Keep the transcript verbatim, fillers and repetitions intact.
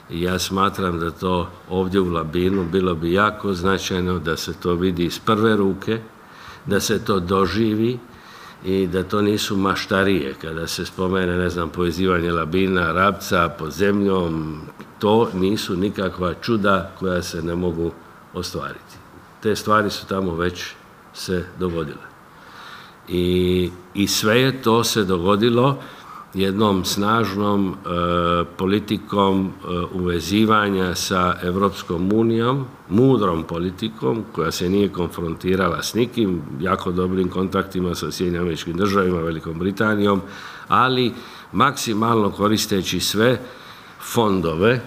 i ja smatram da to ovdje u Labinu bilo bi jako značajno da se to vidi iz prve ruke, da se to doživi i da to nisu maštarije. Kada se spomene, ne znam, povezivanje Labina, Rabca pod zemljom, to nisu nikakva čuda koja se ne mogu ostvariti. Te stvari su tamo već se dogodile. I, i sve je to se dogodilo jednom snažnom e, politikom e, uvezivanja sa Evropskom unijom, mudrom politikom koja se nije konfrontirala s nikim, jako dobrim kontaktima sa Sjedinjenim Američkim Državama, Velikom Britanijom, ali maksimalno koristeći sve fondove